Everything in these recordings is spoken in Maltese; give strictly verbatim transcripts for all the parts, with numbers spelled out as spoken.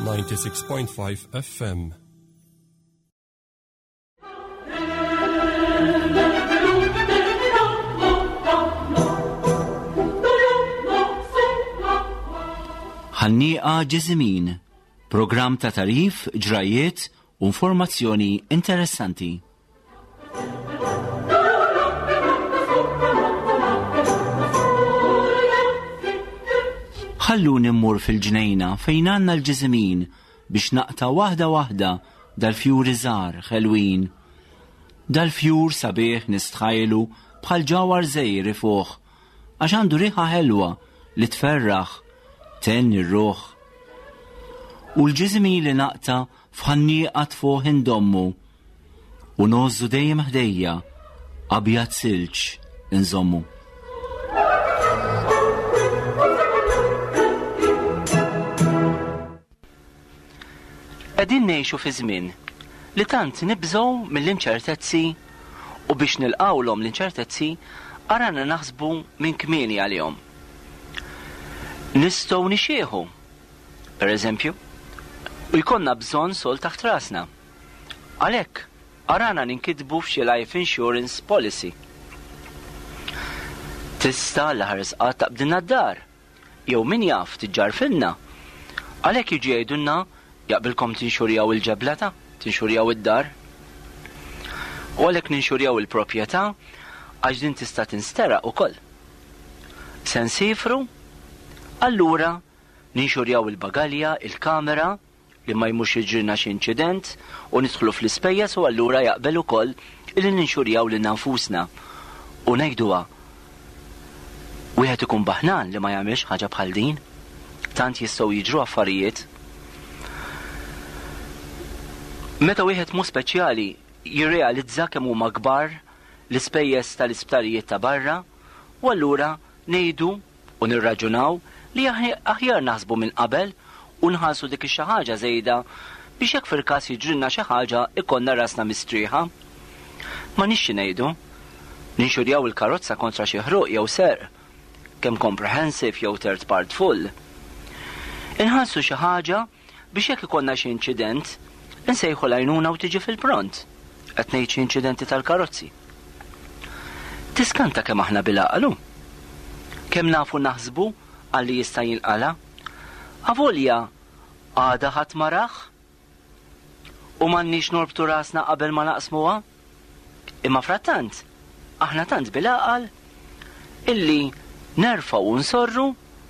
ninety-six point five F M. Ħannieqa Ġiżimin, programm ta' tarif, ġrajiet u informazzjoni interessanti. Ħalluni mmur fil-ġnejna fejn għandna l-ġiżimin biex naqta' waħda waħda dal-fjuri żgħar ħelwin. Dal-fjur sabiħ nistħajlu bħal ġawhar żgħir ifuħ, għax għandu riħa ħelwa li tferraħ, tenni r-ruħ. U l-ġiżimin li naqta' f'ħannieqa tfuħ indommu u ngħożżu dejjem ħdejja abjad silġ inżommu. Qegħdin ngħixu fi żmien li tant nibżgħu mill-inċertezzi u biex nilqgħulhom l-inċertezzi arana naħsbu minn kmieni għalihom. Nistgħu nixieħu, per eżempju, u jkollna bżonn sol taħt rasna. Għalhekk arana ninkitbu f'xi life insurance policy. Tista' l-ħares qatt taqbdilna d-dar, jew min jaf tiġġarfilna. Għalhekk jiġu jgħidulna jaqbilkom tinxurjaw il-ġeblata, tinxurjaw id-dar. U għalhekk ninxurjaw il-proprjetà għax din tista' tinsteraq ukoll. Se nsifru, allura ninxurjaw il-bagalja, il-kamera, li ma jmurx jiġrilna xi inċident u nidħlu fl-ispejjeż u allura jaqbel ukoll illi ninxurjaw lilna nfusna. U ngħiduha, wieħed ikun baħnan li ma jagħmilx ħaġa bħal din, tant jistgħu jiġru affarijiet. Meta wieħed mhu speċjali jirrealizza kemm huma kbar l-ispejjeż tal-isptarijiet ta' barra, u allura ngħidu u nirraġunaw li aħ-, aħjar naħsbu minn qabel u nħallsu dik ix-xi ħaġa żejda biex jekk fil-każ jiġrilna xi ħaġa ikollna rasna mistrieħa. Ma nixxi ngħidu, ninxurjaw il-karozza kontra xi ħruq jew serq, kemm comprehensive jew third part full. Inħallsu xi ħaġa biex jekk ikollna xi inċident insejħu l-għajnuna u tiġi fil-pront, qed ngħid xi inċidenti tal-karozzi. Tiskanta kemm aħna bil-għaqal, kemm nafu naħsbu għalli jista' jinqala'. Avolja għada ħadd ma rah u m'għandniex norbtu rasna qabel ma naqsmuha. Imma frattant aħna tant bil-għaqal illi nerfgħu u nsorru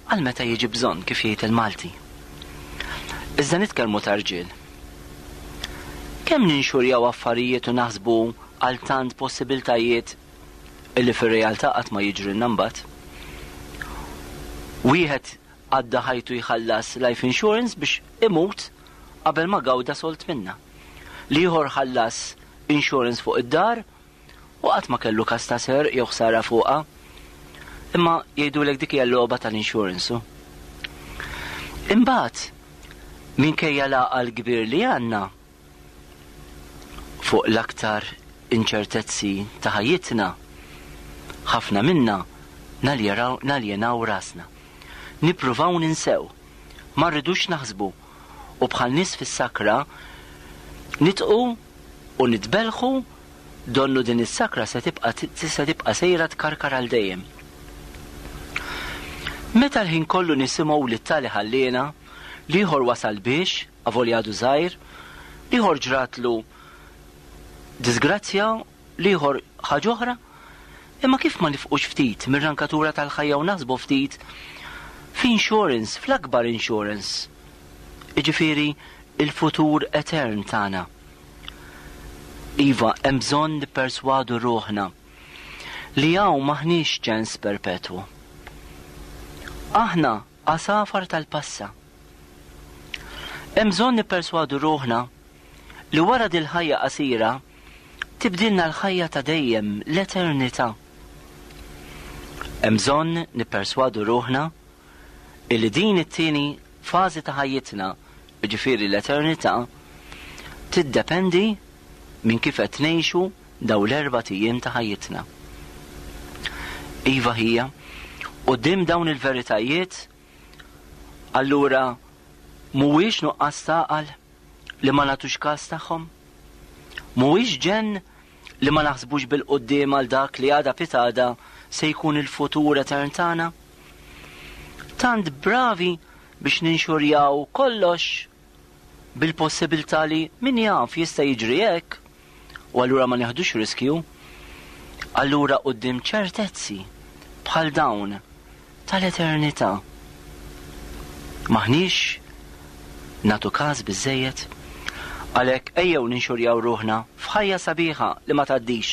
għal meta jiġi bżonn, kif jgħid il-Malti. Iżda nitkellmu ta' rġiel. Kemm ninxurjaw affarijiet u naħsbu għal tant possibiltajiet illi fir-realtà qatt ma jiġrilna mbagħad. Wieħed għadda ħajtu jħallas life insurance biex imut qabel ma gawda solt minna. L-ieħor ħallas insurance fuq id-dar u qatt ma kellu każ ta' serq jew ħsara fuqha. Imma jgħidulek dik hija l-logħba tal-insurance. Imbagħad minkejja l-għaqal kbir li għandna fuq l-aktar inċertezzi ta' ħajjitna, ħafna minna naljeraw, naljenaw rasna. Nippruvaw ninsew, ma rridux naħsbu u bħal nies fis-sakra nitqu u nitbelħu donnu din is-sakra se tibqa' t-, se tibqa' sejra tkarkar għal dejjem. Meta l-ħin kollu nisimgħu li t-tali ħalliena, l-ieħor wasal biex, avolja għadu żgħir, l-ieħor ġratlu disgrazzja, l-ieħor ħaġa oħra, imma kif ma nifqux ftit mir-rankatura tal-ħajja u naħsbu ftit f'insurance, fl-akbar insurance, jiġifieri il-futur etern tagħna. Iva, hemm bżonn nipperswadu ruħna li hawn maħniex ċens perpetwu. Aħna għasafar tal-passa. Hemm bżonn nipperswadu ruħna li wara dil-ħajja qasira tibdilna l-ħajja ta' dejjem, l-eternità. Hemm bżonn nipperswadu ruħna illi din it-tieni fażi ta' ħajjitna, jiġifieri l-eternità, tiddependi minn kif qed ngħixu daw l-erba' ijiem ta' ħajjitna. Iva ħija, quddiem dawn il-veritajiet, allura Mhuwiex nuqqas taqal li ma nagħtux każ tagħhom? Mhuwiex ġenn li ma naħsbux bil-quddiem għal dak li għada pitada se jkun il-futur etern tagħna? Tant bravi biex ninxurjaw kollox bil-possibilità li min jaf jista' jiġri hekk u allura ma nieħdux riskju. Allura quddiem ċertezzi bħal dawn tal-eternità maħniex nagħtu każ biżżejjed. Għalhekk ejjew ninxurjaw ruħna f'ħajja sabiħa li ma tgħaddix.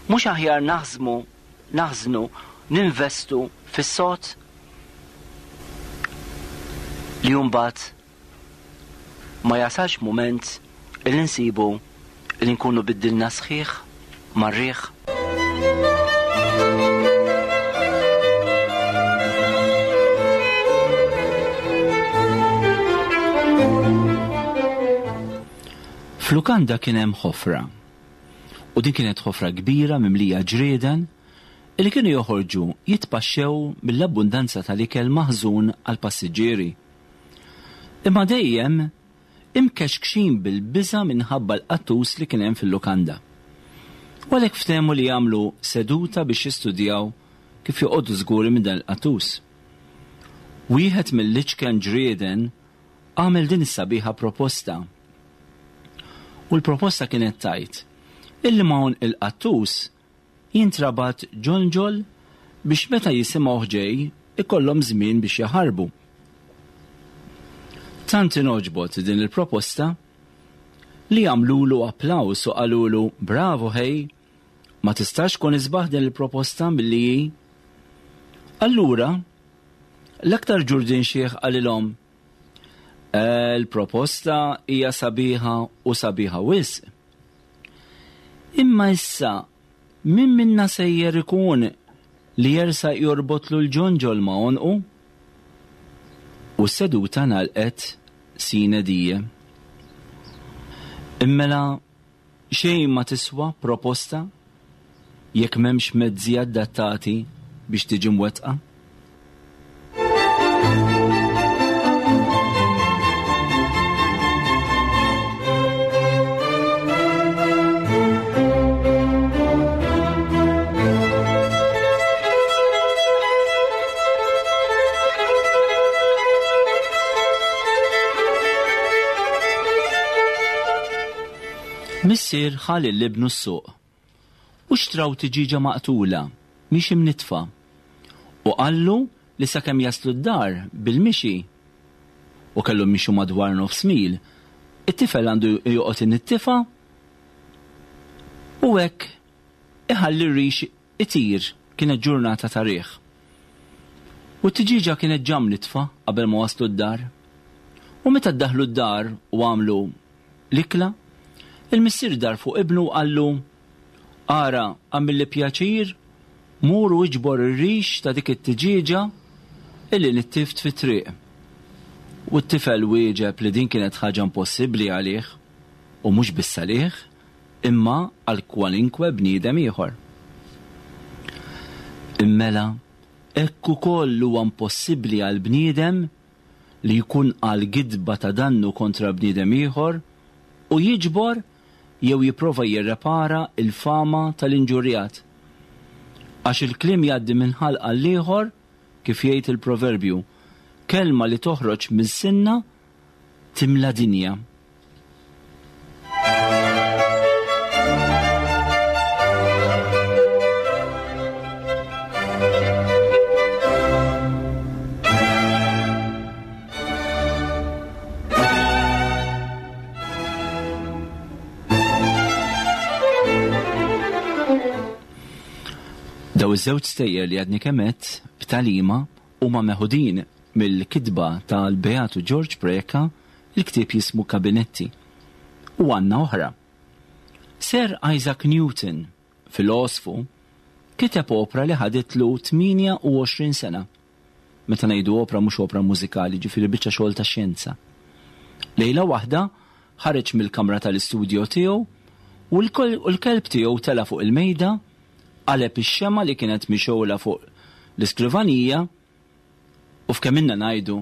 Mhux aħjar naħżmu, naħżnu, ninvestu fis-sod li mbagħad ma jasalx mument li nsibu li nkunu biddilna sħiħ mar-riħ. F'lukanda kien hemm ħofra, u din kienet ħofra kbira mimlija ġrieden li kienu joħorġu jitpaxxew mill-abbundanza tal-ikel maħżun għall-passiġġieri. Imma dejjem imkexkxin bil-biża' minħabba l-qattus li kien hemm fil-lukanda. U għalhekk ftehmu li jagħmlu seduta biex jistudjaw kif joqogħdu żguri minn dan il-qattus. Wieħed mill-iċken ġrieden għamel din is-sabiħa proposta. U l-proposta kienet tajt illi ma' il-qattus jintrabat ġonġol biex meta jisimgħu ġej ikollhom żmien biex jaħarbu. Tant inogħġbot din il-proposta li għamlulu applaws u qalulu bravo ħej, ma tistax tkun isbaħ din il-proposta milli hi. Allura, l-aktar ġurdin xieħ qalilhom, il-proposta hija sabiħa u sabiħa wisq. Imma issa min minna sejjer ikun li jersa jorbotlu l-ġonġol ma' għonqu? U s-seduta nalqet sine die. Immela xejn ma tiswa proposta jekk m'hemmx mezzi adattati biex tiġi mwettqa? Missier ħa lil ibnu s-suq u xtraw tiġiġa maqtula mhix imnitfa u qallu li sakemm jaslu d-dar bil-mixi u kellhom mixu madwar nofs mil, it-tifel għandu joqgħod inittifa u hekk iħalli r-rix itir. Kienet ġurnata ta' riħ. U t-tiġiġa kienet ġa mnitfa qabel ma waslu d-dar. U meta ddaħlu d-dar u għamlu l-ikla, il-missier dar fuq ibnu u qallu, ara, għamilli pjaċir, mur u iġbor ir-rix ta' dik it-tiġieġa illi nittift fit-triq. U t-tifel wieġeb li din kienet ħaġa impossibbli għalih, u mhux biss għalih, imma għal kwalinkwe bniedem ieħor. Immela, hekk ukoll huwa impossibbli għal bniedem li jkun għal gidba ta' dannu kontra bniedem ieħor u jiġbor jew jipprova jirrepara il-fama tal-inġurjat. Għax il-kliem jgħaddi minn ħalq għal ieħor, kif jgħid il-proverbju, kelma li toħroġ minn sinna timla dinja. Daw iż-żewġ stejjer li għadni kemm għedt b'talima huma meħudin mill-kitba tal-Beatu George Preca, il-ktieb jismu Kabinetti. U għandna oħra. Sir Isaac Newton, filosfu, kiteb opra li ħaditlu tmienja u għoxrin sena. Meta ngħidu opra mhux opra mużikali, ġifieri biċċa xogħol ta' xjenza. Lejla waħda ħareġ mill-kamra tal-istudjo tiegħu u l-kelb tiegħu tela' fuq il-mejda, qaleb ix-xema li kienet mixgħula fuq l-iskrivanija u f'kemm inna ngħidu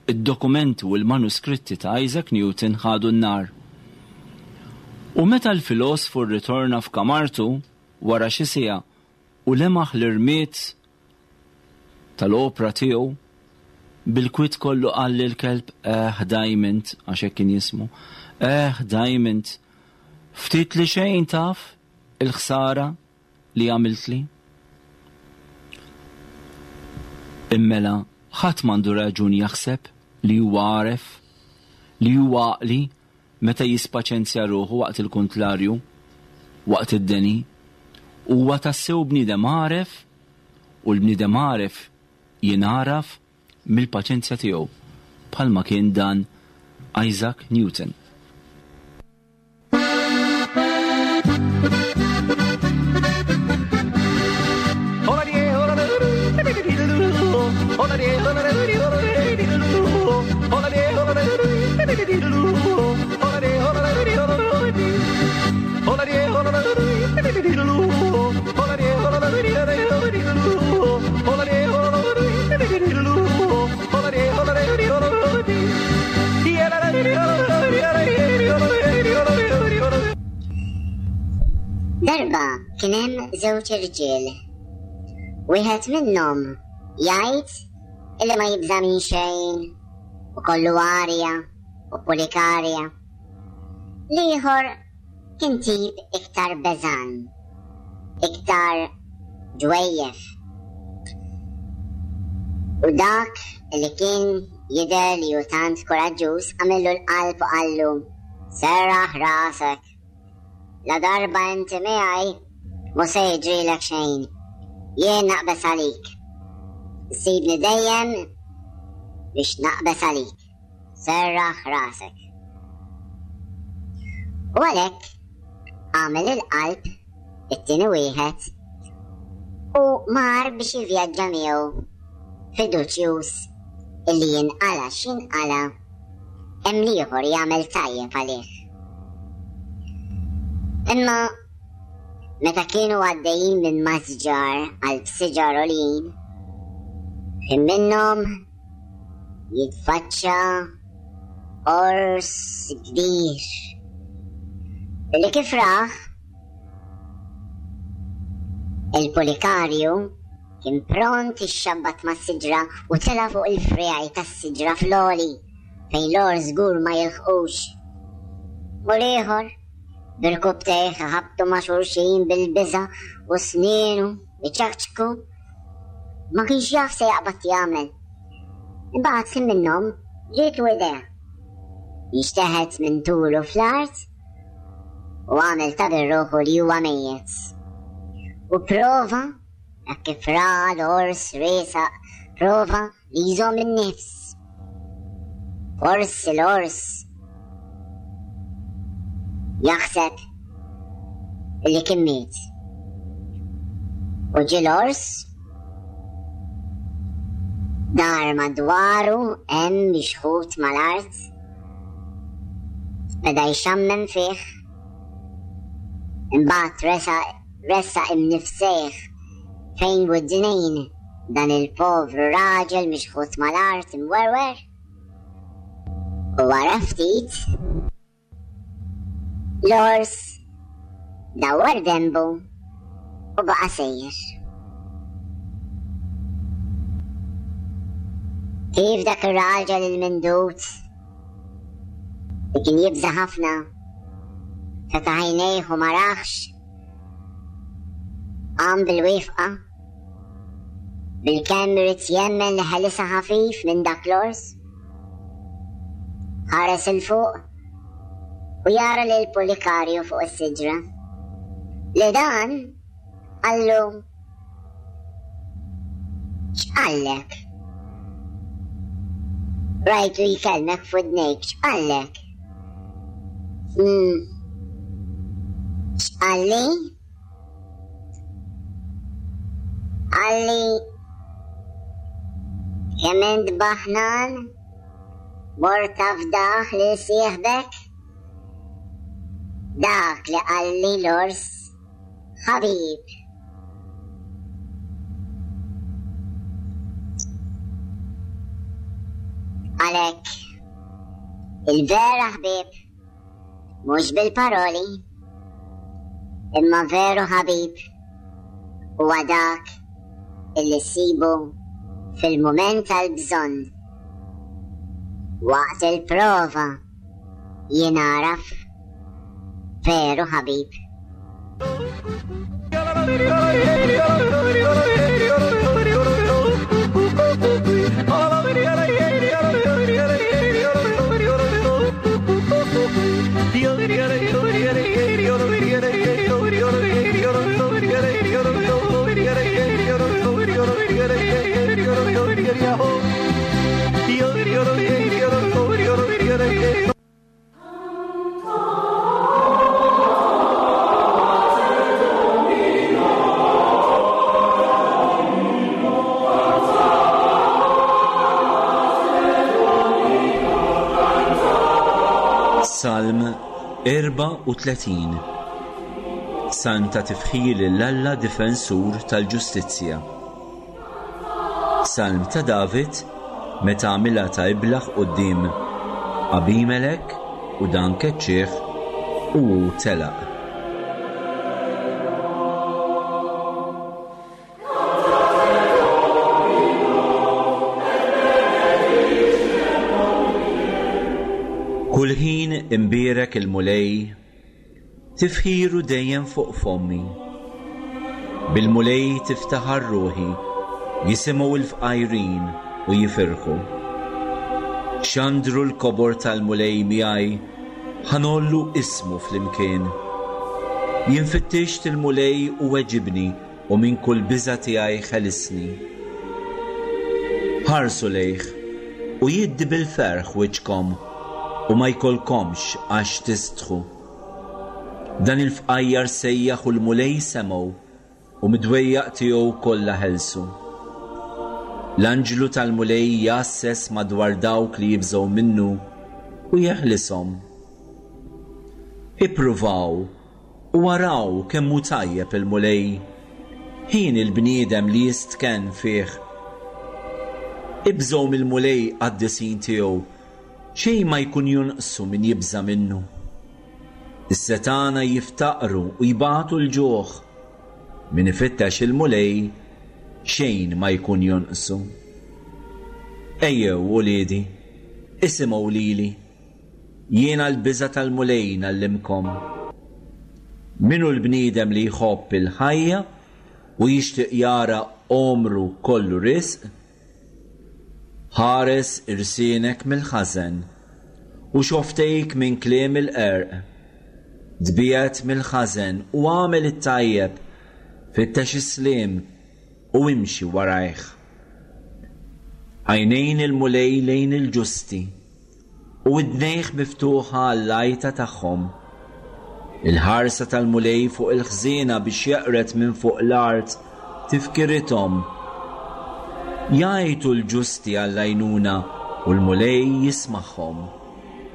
Id-dokumenti u l-manuskritti ta' Isaac Newton ħadu n-nar. U meta l-filosfu rritorna f'kamartu wara xi siegħa u lemaħ l-irmied tal-opra tiegħu, bil-kwiet kollu qal lill-kelb, "Eh, Diamond," għax hekk kien jismu, "Eh, Diamond, ftit li xejn taf il-ħsara li għamiltli." Immela ħadd m'għandu raġun jaħseb li huwa għaref, li huwa għaqli meta jispaċenzja ruħu waqt il-kontlarju, waqt id-deni. Huwa tassew bniedem għaref, u l-bniedem għaref jingħaraf mill-paċenzja tiegħu, bħalma kien dan Isaac Newton. Darba kien hemm żewġ irġiel. Wieħed minnhom jgħid illi ma jibża' minn xejn u kollu arja u pulikarja. L-ieħor kien tip iktar beżan, iktar ġwejjef. U dak li kien jidher li hu tant kuraġġuż għamillu l-qalb u qallu, "Serraħ rasek, la darba inti miegħi mhu se jiġrilek xejn, jien naqbes għalik. Sibni dejjem biex naqbes għalik, serraħ rasek." U għalhekk għamel il-qalb it-tieni wieħed u mar biex jivvjaġġa miegħu fiduċjuż illi jinqala x'inqala hemm l-ieħor jagħmel tajjeb għalih. Imma meta kienu għaddejjin minn masġar għal siġar għoljin, ħin minnhom jitfaċċa ors kbir li kif raħ il-pulikarju kien pront ixxabbat mas-siġra u tela' fuq il-friegħi tas-siġra fl-għoli fejn l-ors żgur ma jilħqux. U l-ieħor birkubtejh ħabtu ma' xulxin bil-biża' u snienu iċakċku, ma kienx jaf se jaqbad jagħmel. Imbagħad ħin minnhom ġietu idea. Jinxteħet minn tulu fl-art u għamel ta' bir-ruħu li huwa mejjet. U prova, hekk kif ra l-ors riesaq, prova li jżomm in-nifs. Forsi l-ors jaħseb li kien miet. U ġie l-ors dar madwaru hemm mixħut mal-art, beda jxammem fih, imbagħad ressaq imnifsejh fejn widnejn dan il-povru raġel mixħut mal-art imwerwer. U wara ftit l-ors dawwar dembu u baqa' sejjer. Kif dak ir-raġel il-mindut li kien jibża' ħafna fetaħ għajnejh u ma raħx, qam bil-wifqa, bil-kemm irid jemmen li ħelisha ħafif minn dak l-ors. Ħares 'il fuq u jara lil pulikarju fuq is-siġra. Li dan qallu, "X'qallek? Rajtu jkellmek f'widnejk, x'qallek?" Hmm. X'qalli? Qalli kemm int baħnan mort tafdaħ lil sieħbek? Dak li qalli l-ors ħabib. Għalhekk, il-vera ħbieb mhux bil-paroli, imma veru ħabib huwa dak illi ssibu fil-mument tal-bżonn. Waqt il-prova jingħaraf veru ħabib. Salm erbgħa u tletin. Salm ta' tifħir lil Alla difensur tal-ġustizzja. Salm ta' David meta għamilha ta' iblaħ quddiem Abimelek u dan keċċieħ u hu telaq. Kull ħin imbierek il-Mulej, tifħiru dejjem fuq fommi. Bil-Mulej tiftaħar ruħi, jisimgħu l-fqajrin u jifirħu. Xandru l-kobor tal-Mulej miegħi, ħanollu ismu flimkien. Jien fittixt il-Mulej u weġibni u minn kull biża' tiegħi ħelisni. Ħarsu lejh u jiddi bil-ferħ wiċċkom u ma jkollkomx għax tistħu. Dan il-fqajjar sejjaħ u l-Mulej semgħu u mid-dwejjaq tiegħu kollha ħelsu. L-anġlu tal-Mulej jgħasses madwar dawk li jibżgħu minnu u jeħlishom. Ippruvaw u araw kemm hu tajjeb il-Mulej, ħin il-bniedem li jistkenn fih. Ibżgħu mill-Mulej qaddisin tiegħu, xejn ma jkun jonqsu min jibża' minnu. Is-setana jiftaqru u jbatu l-ġuħ, min ifittex il-Mulej xejn ma jkun jonqsu. Ejjew, uliedi, isimgħu lili, jiena l-biża' tal-Mulej ngħallimkom. Min hu l-bniedem li jħobb il-ħajja u jixtieq jara għomru kollu risq? Ħares irsienek mill-ħażen u xoftejk minn kliem il-qerq. Tbiegħed mill-ħażen u agħmel it-tajjeb, fittex is-sliem u imxi warajh. Għajnejn il-Mulej lejn il-ġusti u widnejh miftuħa għall-għajta tagħhom. Il-ħarsa tal-Mulej fuq il-ħżiena biex jeqret minn fuq l-art tifkirithom. Jgħajtu l-ġusti għall-għajnuna u l-Mulej jismagħhom.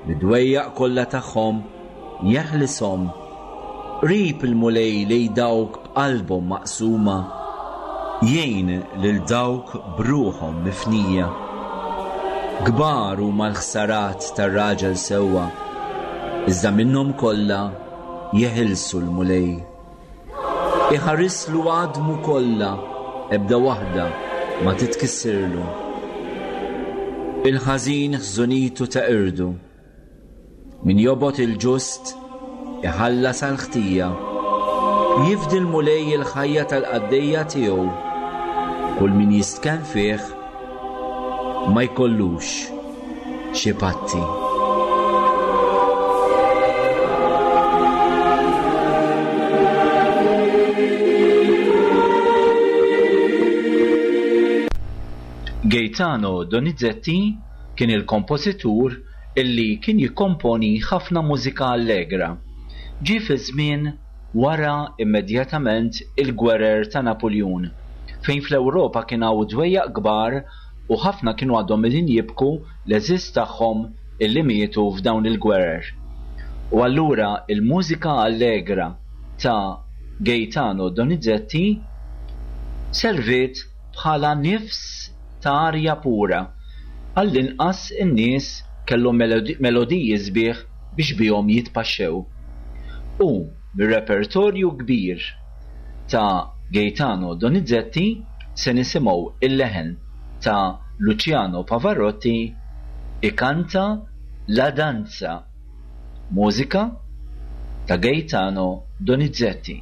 Mid-dwejjaq kollha tagħhom jeħlishom. Qrib il-Mulej lejn dawk b'qalbhom maqsuma, jgħin lil dawk b'ruħhom mifnija. Kbar huma l-ħsarat tar-raġel sewwa, iżda minnhom kollha jeħilsu l-Mulej. Iħarislu għadmu kollha, ebda waħda ma titkissirlu. Il-ħażin ħżunitu teqirdu. Min jobgħod il-ġust iħallas għall-ħtija. Jifdi l-Mulej il-ħajja tal-qaddejja tiegħu. Kull min jistkenn fih ma jkollux xi patti. Gaetano Donizetti kien il-kompożitur illi kien jikkomponi ħafna mużika allegra. Ġie fi żmien wara immedjatament il-gwerer ta' Napoleon, fejn fl-Ewropa kien hawn dwejjaq kbar u ħafna kienu għadhom qegħdin jibku l-eżiż tagħhom illi mietu f'dawn il-gwerer. U allura il-mużika allegra ta' Gaetano Donizetti serviet bħala nifs ta' arja pura Għall-inqas in-nies kellhom melodiji sbieħ biex bihom jitpaxxew. U mir-repertorju kbir ta' Gaetano Donizetti se nisimgħu il-leħen ta' Luciano Pavarotti ikanta La Danza, mużika ta' Gaetano Donizetti.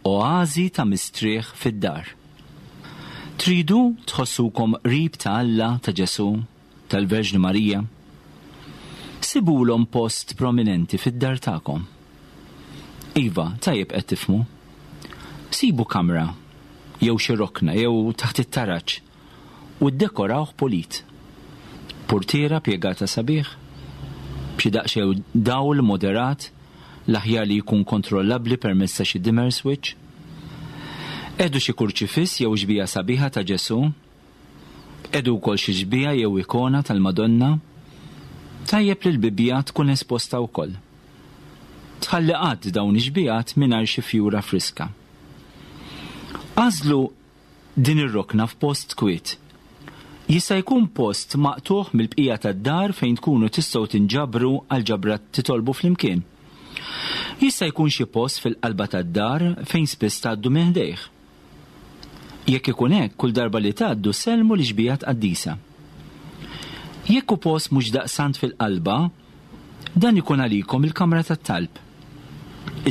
Oażi ta' mistrieħ fid-dar. Tridu tħossukom qrib ta' Alla, ta' Ġesù, tal-Verġni Marija? Sibulhom post prominenti fid-dar tagħkom. Iva, tajjeb qed tifhmu. Sibu kamra, jew xi rokna, jew taħt it-taraġ, u ddekorawh pulit. Portiera pjegata sabiħ, b'xi daqsxejn dawl moderat, l-aħjar li jkun kontrollabbli permezz ta' xi dimmer switch. Edu xi kurċifiss jew xbija sabiħa ta' Ġesù, edu wkoll xi xbija jew ikona tal-Madonna. Tajjeb li l-Bibbja tkun esposta wkoll. Tħalli qatt dawn ix-xbijat mingħajr xi fjura friska. Għażlu din ir-rokna f'post kwiet. Jista' jkun post maqtuħ mill-bqija tad-dar fejn tkunu tistgħu tinġabru għal ġabra titolbu flimkien. Jista' jkun xi post fil-qalba tad-dar fejn spiss tgħaddu minn ħdejh. Jekk ikun hekk, kull darba li tgħaddu sellmu l-ixbijat qaddisa. Jekk hu post mhux daqsant fil-qalba, dan ikun għalikom il-kamra tat-talb,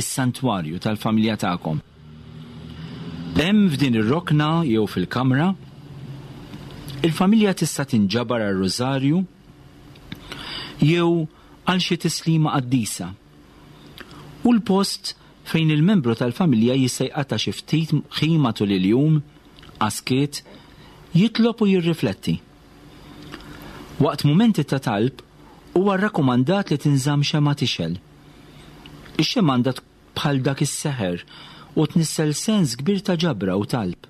is-santwarju tal-familja tagħkom. Hemm f'din ir-rokna jew fil-kamra, il-familja tista' tinġabar għar-rużarju jew għal xi tislima qaddisa. U l-post fejn il-membru tal-familja jista' jqatta' xi ftit ħin matul il-jum, għaskiet, jitlob u jirrifletti. Waqt mumenti ta' talb huwa rrakkomandat li tinżamm xemgħa tixgħel. Ix-xemgħa għandha bħal dak is-seħer u tnissel sens kbir ta' ġabra u talb.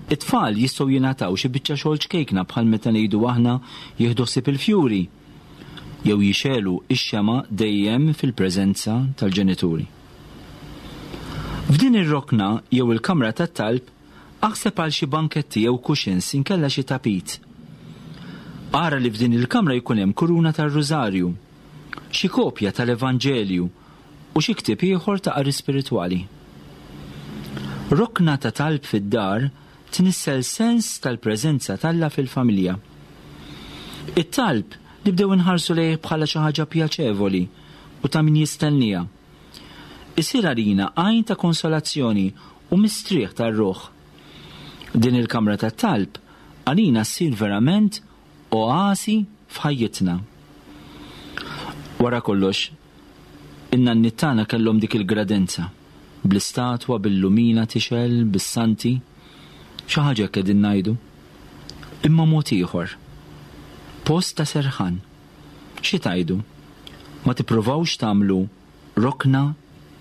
It-tfal jistgħu jingħataw xi biċċa xogħol ċkejkna bħal meta ngħidu aħna jieħdu ħsieb il-fjuri jew jixegħlu ix-xemgħa dejjem fil-preżenza tal-ġenituri. F'din ir-rokna jew il-kamra tat-talb aħseb għal xi banketti jew cushions inkella xi tapit. Ara li f'din il-kamra jkun hemm kuruna tar-rużarju, xi kopja tal-Evanġelju u xi ktieb ieħor ta' qari spiritwali. Rokna ta' talb fid-dar tnissel sens tal-preżenza t'Alla fil-familja. It-talb nibdew inħarsu lejh bħala xi ħaġa pjaċevoli u ta' min jistenniha. Isir għalina għajn ta' konsolazzjoni u mistrieħ tar-ruħ. Din il-kamra tat-talb għalina ssir verament oasi f'ħajjitna. Wara kollox, in-nanniet tagħna kellhom dik il-gradenza, bl-istatwa, bil-lumina tixgħel, bis-santi, xi ħaġa hekk qegħdin ngħidu. Imma mod ieħor. Post ta' serħan. Xi tgħidu? Ma tippruvawx tagħmlu rokna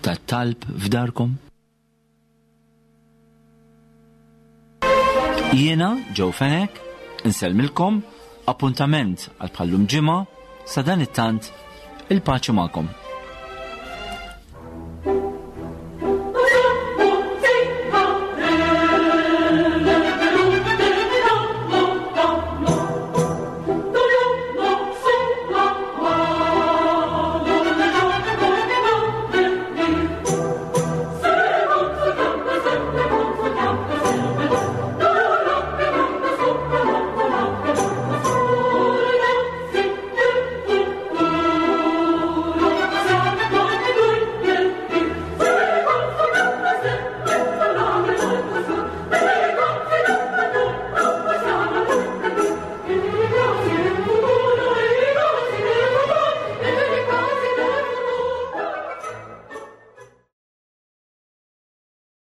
ta' talb f'darkom? Jiena, Joe Fenech, insellmilkom, appuntament għal bħallum ġimgħa, sa dan it-tant, il-paċi magħkom.